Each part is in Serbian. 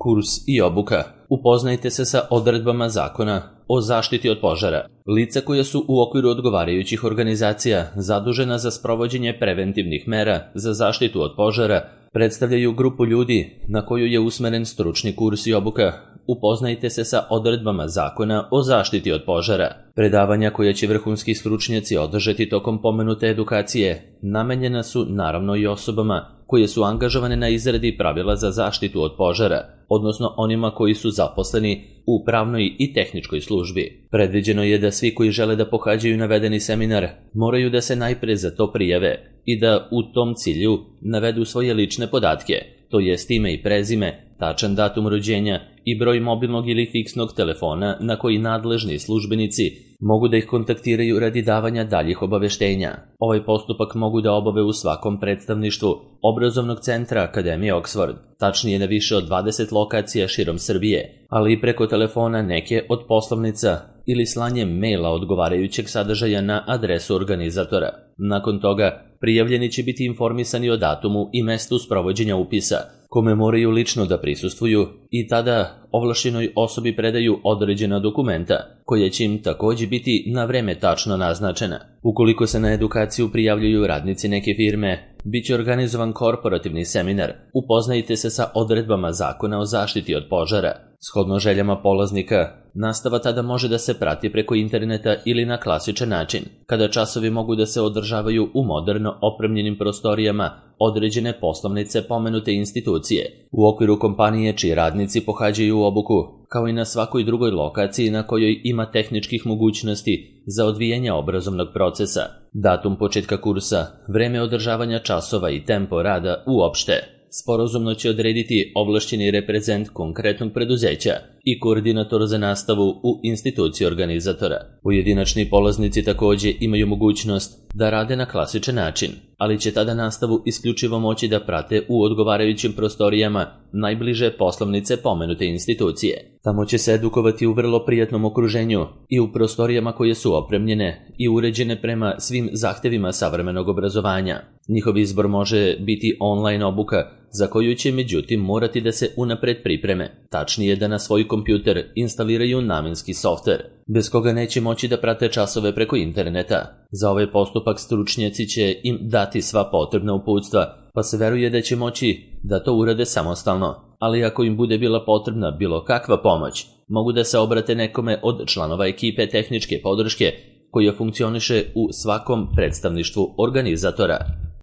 Kurs i obuka. Upoznajte se sa odredbama Zakona o zaštiti od požara. Lica koja su u okviru odgovarajućih organizacija zadužena za sprovođenje preventivnih mera za zaštitu od požara predstavljaju grupu ljudi na koju je usmeren stručni kurs i obuka. Upoznajte se sa odredbama Zakona o zaštiti od požara. Predavanja koja će vrhunski stručnjaci održati tokom pomenute edukacije namenjena su naravno i osobama koje su angažovane na izradi pravila za zaštitu od požara, odnosno onima koji su zaposleni u pravnoj i tehničkoj službi. Predviđeno je da svi koji žele da pohađaju navedeni seminar moraju da se najpre za to prijave i da u tom cilju navedu svoje lične podatke, to jest ime i prezime, tačan datum rođenja i broj mobilnog ili fiksnog telefona na koji nadležni službenici mogu da ih kontaktiraju radi davanja daljih obaveštenja. Ovaj postupak mogu da obave u svakom predstavništvu Obrazovnog centra Akademije Oxford, tačnije na više od 20 lokacija širom Srbije, ali i preko telefona neke od poslovnica ili slanjem maila odgovarajućeg sadržaja na adresu organizatora. Nakon toga, prijavljeni će biti informisani o datumu i mestu sprovođenja upisa, kome moraju lično da prisustvuju i tada ovlašćenoj osobi predaju određena dokumenta, koja će im takođe biti na vreme tačno naznačena. Ukoliko se na edukaciju prijavljuju radnici neke firme, bit će organizovan korporativni seminar. Upoznajte se sa odredbama Zakona o zaštiti od požara. Shodno željama polaznika, nastava tada može da se prati preko interneta ili na klasičan način, kada časovi mogu da se održavaju u moderno opremljenim prostorijama određene poslovnice pomenute institucije, u okviru kompanije čiji radnici pohađaju obuku, kao i na svakoj drugoj lokaciji na kojoj ima tehničkih mogućnosti za odvijanje obrazovnog procesa. Datum početka kursa, vreme održavanja časova i tempo rada uopšte sporazumno će odrediti ovlašćeni reprezent konkretnog preduzeća i koordinator za nastavu u instituciji organizatora. Pojedinačni polaznici takođe imaju mogućnost da rade na klasičan način, ali će tada nastavu isključivo moći da prate u odgovarajućim prostorijama najbliže poslovnice pomenute institucije. Tamo će se edukovati u vrlo prijatnom okruženju i u prostorijama koje su opremljene i uređene prema svim zahtevima savremenog obrazovanja. Njihov izbor može biti online obuka, za koju će međutim morati da se unapred pripreme, tačnije da na svoj kompjuter instaliraju namenski softver, bez koga neće moći da prate časove preko interneta. Za ovaj postupak stručnjaci će im dati sva potrebna uputstva, pa se veruje da će moći da to urade samostalno, ali ako im bude bila potrebna bilo kakva pomoć, mogu da se obrate nekome od članova ekipe tehničke podrške koja funkcioniše u svakom predstavništvu organizatora.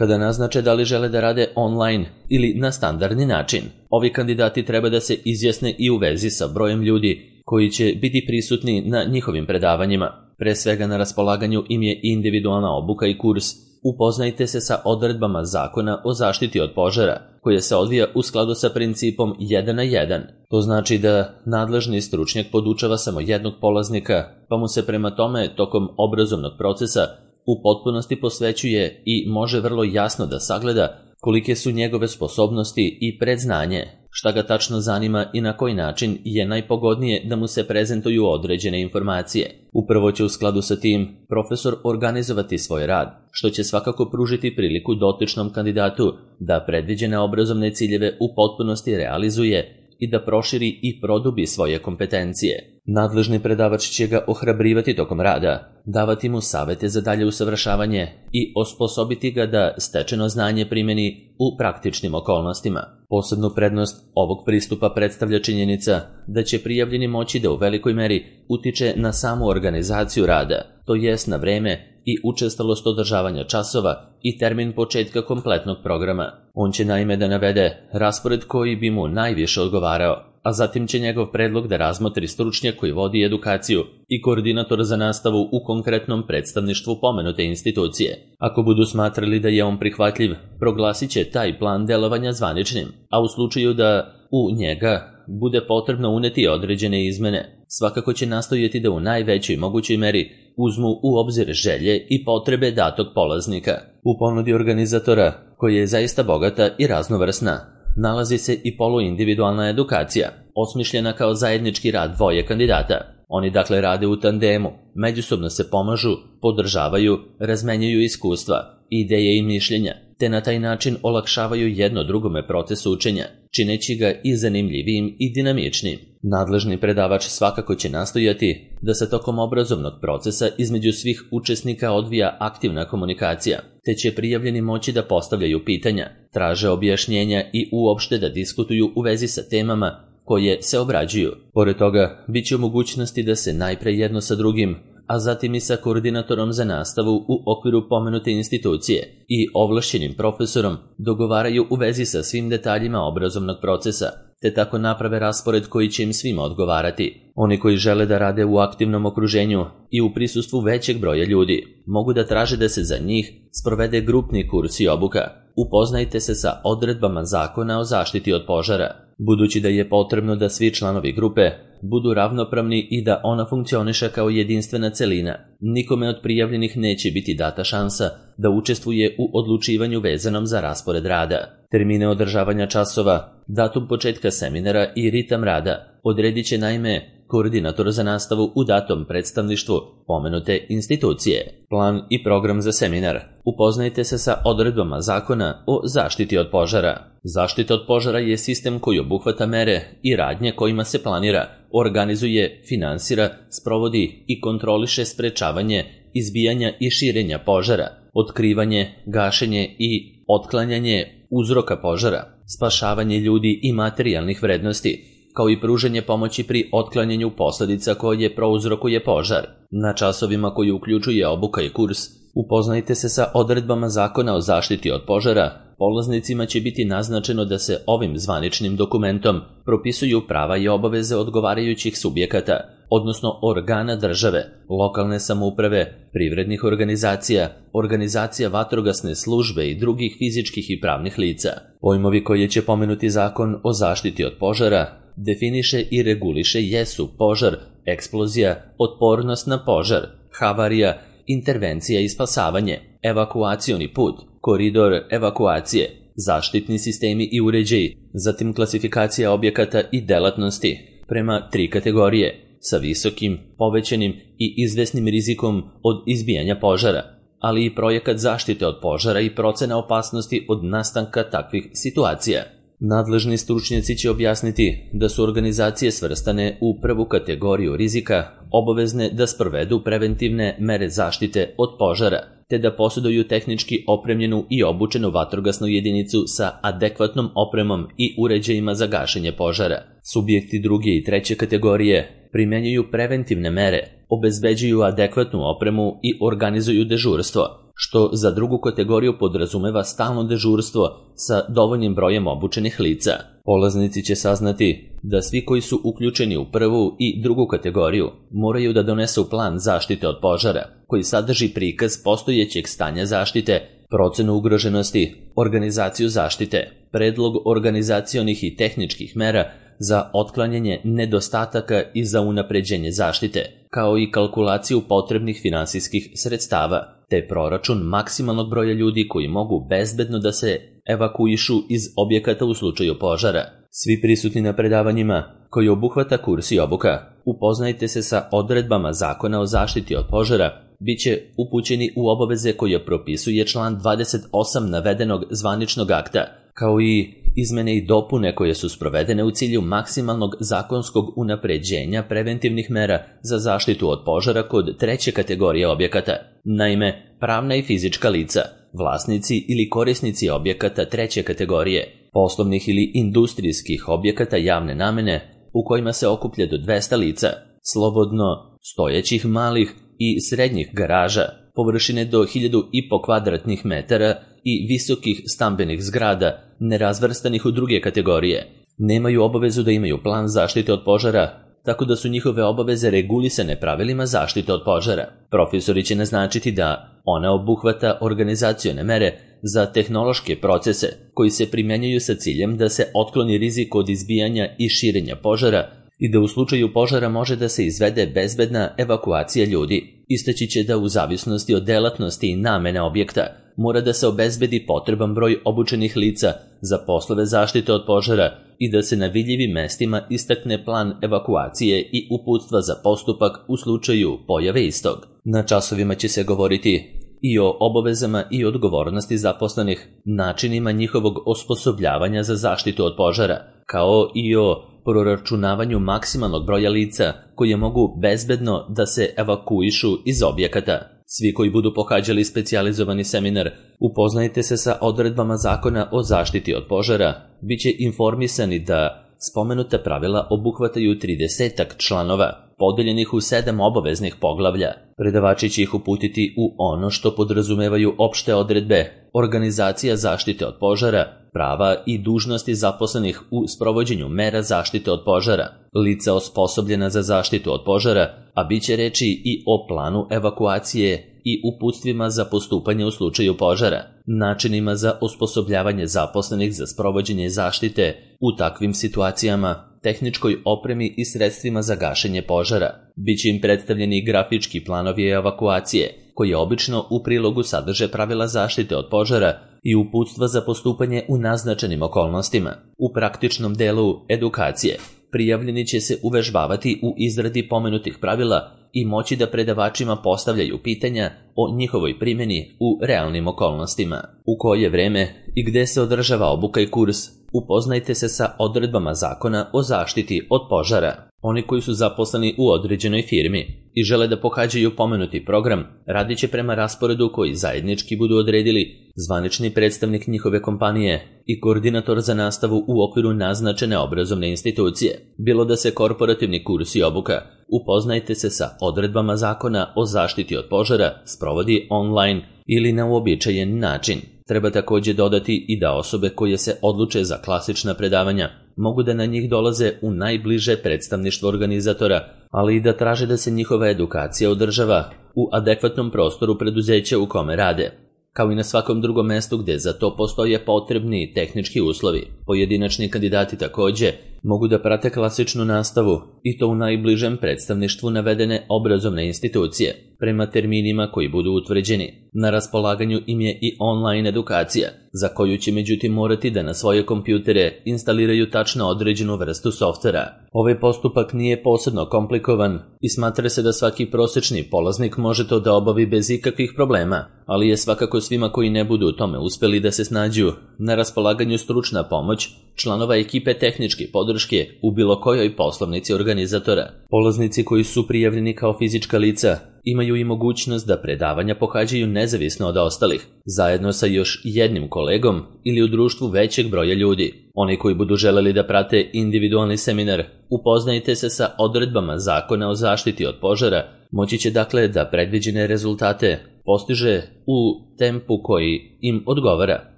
Kada naznače da li žele da rade online ili na standardni način, ovi kandidati treba da se izjasne i u vezi sa brojem ljudi koji će biti prisutni na njihovim predavanjima. Pre svega na raspolaganju im je individualna obuka i kurs. Upoznajte se sa odredbama Zakona o zaštiti od požara, koje se odvija u skladu sa principom 1 na 1. To znači da nadležni stručnjak podučava samo jednog polaznika, pa mu se prema tome tokom obrazovnog procesa u potpunosti posvećuje i može vrlo jasno da sagleda kolike su njegove sposobnosti i predznanje, šta ga tačno zanima i na koji način je najpogodnije da mu se prezentuju određene informacije. Upravo će u skladu sa tim profesor organizovati svoj rad, što će svakako pružiti priliku dotičnom kandidatu da predviđene obrazovne ciljeve u potpunosti realizuje i da proširi i produbi svoje kompetencije. Nadležni predavač će ga ohrabrivati tokom rada, davati mu savete za dalje usavršavanje i osposobiti ga da stečeno znanje primeni u praktičnim okolnostima. Posebnu prednost ovog pristupa predstavlja činjenica da će prijavljeni moći da u velikoj meri utiče na samu organizaciju rada, to jest na vreme i učestalost održavanja časova i termin početka kompletnog programa. On će naime da navede raspored koji bi mu najviše odgovarao, a zatim će njegov predlog da razmotri stručnjak koji vodi edukaciju i koordinator za nastavu u konkretnom predstavništvu pomenute institucije. Ako budu smatrali da je on prihvatljiv, proglasit će taj plan delovanja zvaničnim, a u slučaju da u njega bude potrebno uneti određene izmene, svakako će nastojati da u najvećoj mogućoj meri uzmu u obzir želje i potrebe datog polaznika. U ponudi organizatora, koja je zaista bogata i raznovrsna, nalazi se i poluindividualna edukacija, osmišljena kao zajednički rad dvoje kandidata. Oni dakle rade u tandemu, međusobno se pomažu, podržavaju, razmenjuju iskustva, ideje i mišljenja, te na taj način olakšavaju jedno drugome proces učenja, čineći ga i zanimljivijim i dinamičnim. Nadležni predavač svakako će nastojati da se tokom obrazovnog procesa između svih učesnika odvija aktivna komunikacija, te će prijavljeni moći da postavljaju pitanja, traže objašnjenja i uopšte da diskutuju u vezi sa temama koje se obrađuju. Pored toga, bit će u mogućnosti da se najpre jedno sa drugim, a zatim i sa koordinatorom za nastavu u okviru pomenute institucije i ovlašćenim profesorom dogovaraju u vezi sa svim detaljima obrazovnog procesa, te tako naprave raspored koji će im svima odgovarati. Oni koji žele da rade u aktivnom okruženju i u prisustvu većeg broja ljudi, mogu da traže da se za njih sprovede grupni kurs i obuka. Upoznajte se sa odredbama Zakona o zaštiti od požara. Budući da je potrebno da svi članovi grupe budu ravnopravni i da ona funkcioniše kao jedinstvena celina, nikome od prijavljenih neće biti data šansa da učestvuje u odlučivanju vezanom za raspored rada. Termine održavanja časova, datum početka seminara i ritam rada odredit će naime koordinator za nastavu u datom predstavništvu pomenute institucije. Plan i program za seminar. Upoznajte se sa odredbama Zakona o zaštiti od požara. Zaštita od požara je sistem koji obuhvata mere i radnje kojima se planira, organizuje, finansira, sprovodi i kontroliše sprečavanje, izbijanja i širenja požara, otkrivanje, gašenje i otklanjanje uzroka požara, spašavanje ljudi i materijalnih vrednosti, kao i pružanje pomoći pri otklanjanju posledica koje prouzrokuje požar. Na časovima koji uključuje obuka i kurs, upoznajte se sa odredbama Zakona o zaštiti od požara. Polaznicima će biti naznačeno da se ovim zvaničnim dokumentom propisuju prava i obaveze odgovarajućih subjekata, odnosno organa države, lokalne samouprave, privrednih organizacija, organizacija vatrogasne službe i drugih fizičkih i pravnih lica. Pojmovi koje će pomenuti Zakon o zaštiti od požara definiše i reguliše jesu požar, eksplozija, otpornost na požar, havarija, intervencija i spasavanje, evakuacioni put, koridor evakuacije, zaštitni sistemi i uređaji, zatim klasifikacija objekata i delatnosti prema 3 kategorije, sa visokim, povećanim i izvesnim rizikom od izbijanja požara, ali i projekat zaštite od požara i procena opasnosti od nastanka takvih situacija. Nadležni stručnjaci će objasniti da su organizacije svrstane u prvu kategoriju rizika obavezne da sprovedu preventivne mere zaštite od požara, te da posjeduju tehnički opremljenu i obučenu vatrogasnu jedinicu sa adekvatnom opremom i uređajima za gašenje požara. Subjekti druge i treće kategorije primenjuju preventivne mere, obezbeđuju adekvatnu opremu i organizuju dežurstvo, što za drugu kategoriju podrazumeva stalno dežurstvo sa dovoljnim brojem obučenih lica. Polaznici će saznati da svi koji su uključeni u prvu i drugu kategoriju moraju da donesu plan zaštite od požara, koji sadrži prikaz postojećeg stanja zaštite, procenu ugroženosti, organizaciju zaštite, predlog organizacionih i tehničkih mera za otklanjanje nedostataka i za unapređenje zaštite, kao i kalkulaciju potrebnih finansijskih sredstava, te proračun maksimalnog broja ljudi koji mogu bezbedno da se evakuišu iz objekata u slučaju požara. Svi prisutni na predavanjima, koji obuhvata kurs i obuka, upoznajte se sa odredbama Zakona o zaštiti od požara, bit će upućeni u obaveze koje propisuje član 28 navedenog zvaničnog akta, kao i izmene i dopune koje su sprovedene u cilju maksimalnog zakonskog unapređenja preventivnih mera za zaštitu od požara kod treće kategorije objekata. Naime, pravna i fizička lica, vlasnici ili korisnici objekata treće kategorije, poslovnih ili industrijskih objekata javne namene u kojima se okuplja do 200 lica, slobodno stojećih malih i srednjih garaža, površine do 1500 kvadratnih metara i visokih stambenih zgrada, nerazvrstanih u druge kategorije, nemaju obavezu da imaju plan zaštite od požara, tako da su njihove obaveze regulisane pravilima zaštite od požara. Profesori će naznačiti da ona obuhvata organizacione mere za tehnološke procese koji se primjenjuju sa ciljem da se otkloni rizik od izbijanja i širenja požara i da u slučaju požara može da se izvede bezbedna evakuacija ljudi. Istaći će da u zavisnosti od delatnosti i namene objekta mora da se obezbedi potreban broj obučenih lica za poslove zaštite od požara i da se na vidljivim mestima istakne plan evakuacije i uputstva za postupak u slučaju pojave istog. Na časovima će se govoriti i o obavezama i odgovornosti zaposlenih, načinima njihovog osposobljavanja za zaštitu od požara, kao i o proračunavanju maksimalnog broja lica koje mogu bezbedno da se evakuišu iz objekata. Svi koji budu pohađali specijalizovani seminar, upoznajte se sa odredbama Zakona o zaštiti od požara, bit će informisani da spomenuta pravila obuhvataju 30 članova, podeljenih u 7 obaveznih poglavlja. Predavači će ih uputiti u ono što podrazumevaju opšte odredbe, organizacija zaštite od požara, prava i dužnosti zaposlenih u sprovođenju mera zaštite od požara, lica osposobljena za zaštitu od požara, a bit će reči i o planu evakuacije i uputstvima za postupanje u slučaju požara, načinima za osposobljavanje zaposlenih za sprovođenje zaštite u takvim situacijama, tehničkoj opremi i sredstvima za gašenje požara. Biće im predstavljeni grafički planovi evakuacije, koji obično u prilogu sadrže pravila zaštite od požara i uputstva za postupanje u naznačenim okolnostima. U praktičnom delu edukacije prijavljeni će se uvežbavati u izradi pomenutih pravila i moći da predavačima postavljaju pitanja o njihovoj primjeni u realnim okolnostima. U koje vreme i gde se održava obuka i kurs, upoznajte se sa odredbama Zakona o zaštiti od požara. Oni koji su zaposleni u određenoj firmi i žele da pohađaju pomenuti program, radit će prema rasporedu koji zajednički budu odredili zvanični predstavnik njihove kompanije i koordinator za nastavu u okviru naznačene obrazovne institucije. Bilo da se korporativni kurs i obuka, upoznajte se sa odredbama Zakona o zaštiti od požara, sprovodi online ili na uobičajen način. Treba također dodati i da osobe koje se odluče za klasična predavanja mogu da na njih dolaze u najbliže predstavništvo organizatora, ali i da traže da se njihova edukacija održava u adekvatnom prostoru preduzeća u kome rade, kao i na svakom drugom mestu gde za to postoje potrebni tehnički uslovi. Pojedinačni kandidati također mogu da prate klasičnu nastavu i to u najbližem predstavništvu navedene obrazovne institucije, prema terminima koji budu utvrđeni. Na raspolaganju im je i online edukacija, za koju će međutim morati da na svoje kompjutere instaliraju tačno određenu vrstu softvera. Ovaj postupak nije posebno komplikovan i smatra se da svaki prosečni polaznik može to da obavi bez ikakvih problema, ali je svakako svima koji ne budu u tome uspeli da se snađu na raspolaganju stručna pomoć članova ekipe tehničke podrške u bilo kojoj poslovnici organizatora. Polaznici koji su prijavljeni kao fizička lica imaju i mogućnost da predavanja pohađaju nezavisno od ostalih, zajedno sa još jednim kolegom ili u društvu većeg broja ljudi. Oni koji budu želeli da prate individualni seminar, upoznajte se sa odredbama Zakona o zaštiti od požara, moći će dakle da predviđene rezultate postiže u tempu koji im odgovara,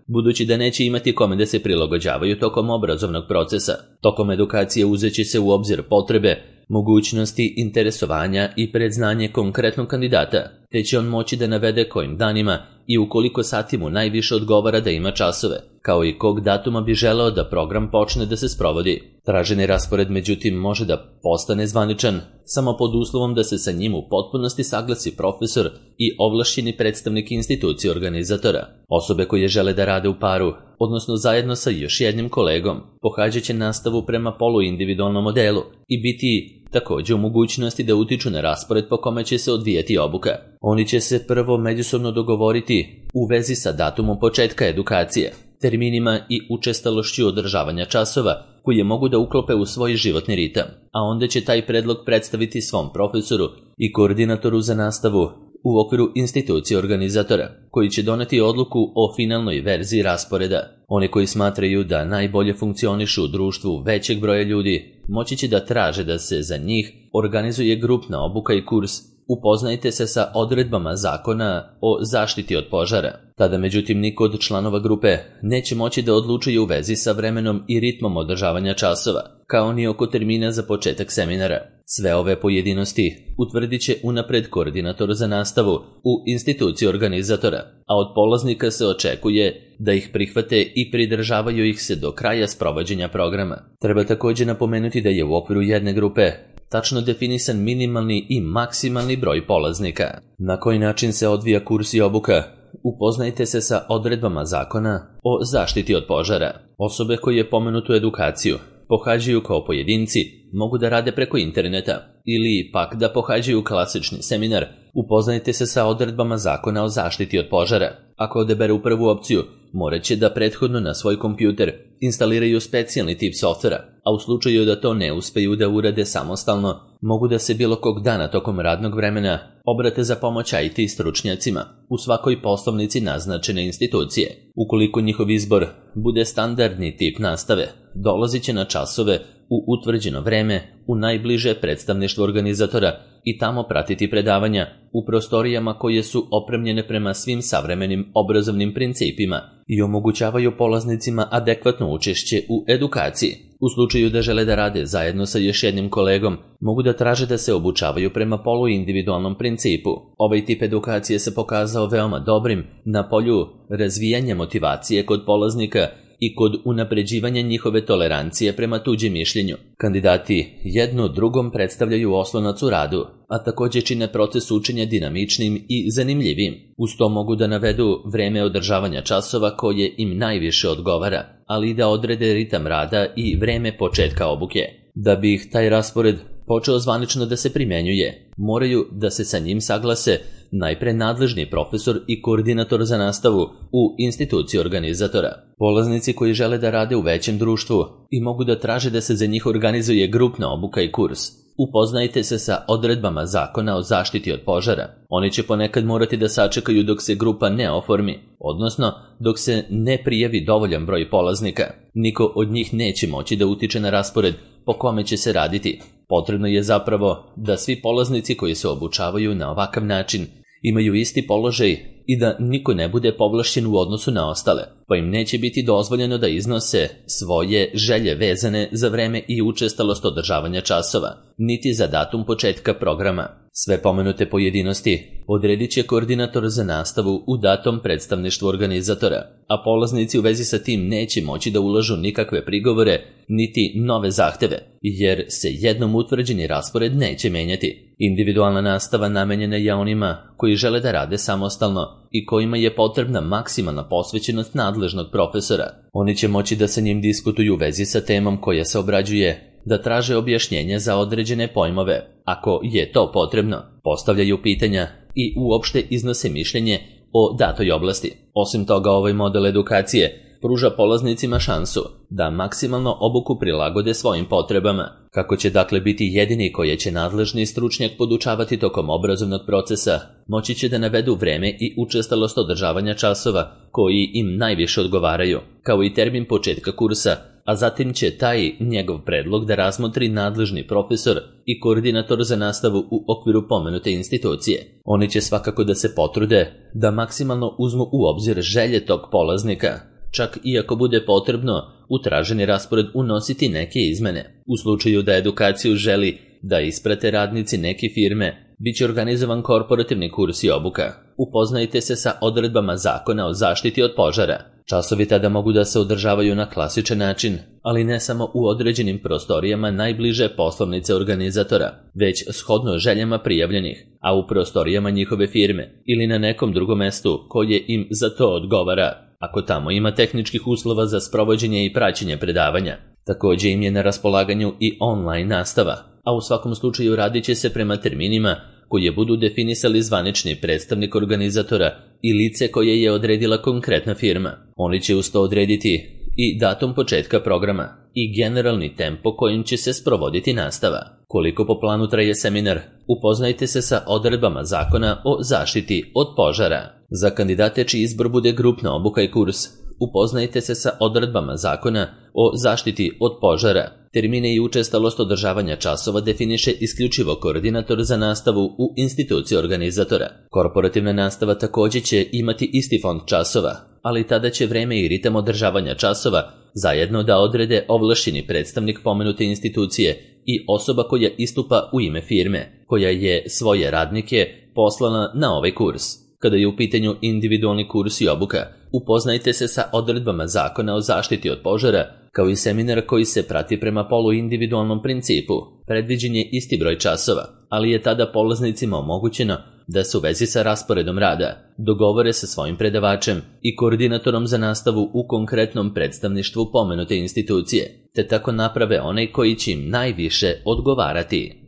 budući da neće imati kome da se prilagođavaju tokom obrazovnog procesa. Tokom edukacije uzeće se u obzir potrebe, mogućnosti, interesovanja i predznanje konkretnog kandidata, te će on moći da navede kojim danima i u koliko sati mu najviše odgovara da ima časove, kao i kog datuma bi želeo da program počne da se sprovodi. Traženi raspored međutim može da postane zvaničan samo pod uslovom da se sa njim u potpunosti saglasi profesor i ovlašćeni predstavnik institucije organizatora. Osobe koje žele da rade u paru, odnosno zajedno sa još jednim kolegom, pohađat će nastavu prema poluindividualnom modelu i biti također u mogućnosti da utiču na raspored po kome će se odvijati obuka. Oni će se prvo međusobno dogovoriti u vezi sa datumom početka edukacije, terminima i učestalošću održavanja časova koje mogu da uklope u svoj životni ritam, a onda će taj predlog predstaviti svom profesoru i koordinatoru za nastavu u okviru institucije organizatora, koji će doneti odluku o finalnoj verziji rasporeda. Oni koji smatraju da najbolje funkcionišu u društvu većeg broja ljudi, moći će da traže da se za njih organizuje grupna obuka i kurs. Upoznajte se sa odredbama Zakona o zaštiti od požara. Tada međutim niko od članova grupe neće moći da odlučuje u vezi sa vremenom i ritmom održavanja časova, kao ni oko termina za početak seminara. Sve ove pojedinosti utvrdit će unapred koordinator za nastavu u instituciji organizatora, a od polaznika se očekuje da ih prihvate i pridržavaju ih se do kraja sprovođenja programa. Treba također napomenuti da je u okviru jedne grupe tačno definisan minimalni i maksimalni broj polaznika. Na koji način se odvija kurs i obuka? Upoznajte se sa odredbama Zakona o zaštiti od požara. Osobe koje pomenutu edukaciju pohađaju kao pojedinci mogu da rade preko interneta ili pak da pohađaju klasični seminar Upoznajte se sa odredbama Zakona o zaštiti od požara. Ako odaberu prvu opciju, morat će da prethodno na svoj kompjuter instaliraju specijalni tip softvera, a u slučaju da to ne uspeju da urade samostalno, mogu da se bilo kog dana tokom radnog vremena obrate za pomoć IT stručnjacima u svakoj poslovnici naznačene institucije. Ukoliko njihov izbor bude standardni tip nastave, dolazit će na časove u utvrđeno vreme u najbliže predstavništvo organizatora i tamo pratiti predavanja u prostorijama koje su opremljene prema svim savremenim obrazovnim principima i omogućavaju polaznicima adekvatno učešće u edukaciji. U slučaju da žele da rade zajedno sa još jednim kolegom, mogu da traže da se obučavaju prema poluindividualnom principu. Ovaj tip edukacije se pokazao veoma dobrim na polju razvijanja motivacije kod polaznika i kod unapređivanja njihove tolerancije prema tuđem mišljenju. Kandidati jedno drugom predstavljaju oslonac u radu, a također čine proces učenja dinamičnim i zanimljivim. Uz to mogu da navedu vreme održavanja časova koje im najviše odgovara, ali i da odrede ritam rada i vreme početka obuke. Da bi ih taj raspored počeo zvanično da se primenjuje, moraju da se sa njim saglase najpre nadležni profesor i koordinator za nastavu u instituciji organizatora. Polaznici koji žele da rade u većem društvu i mogu da traže da se za njih organizuje grupna obuka i kurs. Upoznajte se sa odredbama Zakona o zaštiti od požara. Oni će ponekad morati da sačekaju dok se grupa ne oformi, odnosno dok se ne prijavi dovoljan broj polaznika. Niko od njih neće moći da utiče na raspored po kome će se raditi. Potrebno je zapravo da svi polaznici koji se obučavaju na ovakav način imaju isti položaj i da niko ne bude povlašćen u odnosu na ostale, pa im neće biti dozvoljeno da iznose svoje želje vezane za vreme i učestalost održavanja časova, niti za datum početka programa. Sve pomenute pojedinosti odredit će koordinator za nastavu u datom predstavništvu organizatora, a polaznici u vezi sa tim neće moći da ulažu nikakve prigovore niti nove zahteve, jer se jednom utvrđeni raspored neće menjati. Individualna nastava namenjena je onima koji žele da rade samostalno i kojima je potrebna maksimalna posvećenost nadležnog profesora. Oni će moći da sa njim diskutuju u vezi sa temom koja se obrađuje, da traže objašnjenja za određene pojmove, ako je to potrebno, postavljaju pitanja i uopšte iznose mišljenje o datoj oblasti. Osim toga, ovaj model edukacije pruža polaznicima šansu da maksimalno obuku prilagode svojim potrebama. Kako će dakle biti jedini koje će nadležni stručnjak podučavati tokom obrazovnog procesa, moći će da navedu vreme i učestalost održavanja časova koji im najviše odgovaraju, kao i termin početka kursa, a zatim će taj njegov predlog da razmotri nadležni profesor i koordinator za nastavu u okviru pomenute institucije. Oni će svakako da se potrude da maksimalno uzmu u obzir želje tog polaznika, čak i ako bude potrebno u traženi raspored unositi neke izmene. U slučaju da edukaciju želi da isprate radnici neke firme, bit će organizovan korporativni kurs i obuka. Upoznajte se sa odredbama Zakona o zaštiti od požara. Časovi tada mogu da se održavaju na klasičan način, ali ne samo u određenim prostorijama najbliže poslovnice organizatora, već shodno željama prijavljenih, a u prostorijama njihove firme ili na nekom drugom mestu koje im za to odgovara, ako tamo ima tehničkih uslova za sprovođenje i praćenje predavanja. Također im je na raspolaganju i online nastava, a u svakom slučaju radit će se prema terminima koje budu definisali zvanični predstavnik organizatora i lice koje je odredila konkretna firma. Oni će uz to odrediti i datum početka programa i generalni tempo kojim će se sprovoditi nastava. Koliko po planu traje seminar, upoznajte se sa odredbama Zakona o zaštiti od požara. Za kandidate čiji izbor bude grupna obuka i kurs, upoznajte se sa odredbama Zakona o zaštiti od požara. Termine i učestalost održavanja časova definiše isključivo koordinator za nastavu u instituciji organizatora. Korporativna nastava također će imati isti fond časova, ali tada će vreme i ritam održavanja časova zajedno da odrede ovlašćeni predstavnik pomenute institucije i osoba koja istupa u ime firme, koja je svoje radnike poslala na ovaj kurs. Kada je u pitanju individualni kurs i obuka, upoznajte se sa odredbama Zakona o zaštiti od požara, kao i seminar koji se prati prema poluindividualnom principu. Predviđen je isti broj časova, ali je tada polaznicima omogućeno da se u vezi sa rasporedom rada dogovore sa svojim predavačem i koordinatorom za nastavu u konkretnom predstavništvu pomenute institucije, te tako naprave onaj koji će im najviše odgovarati.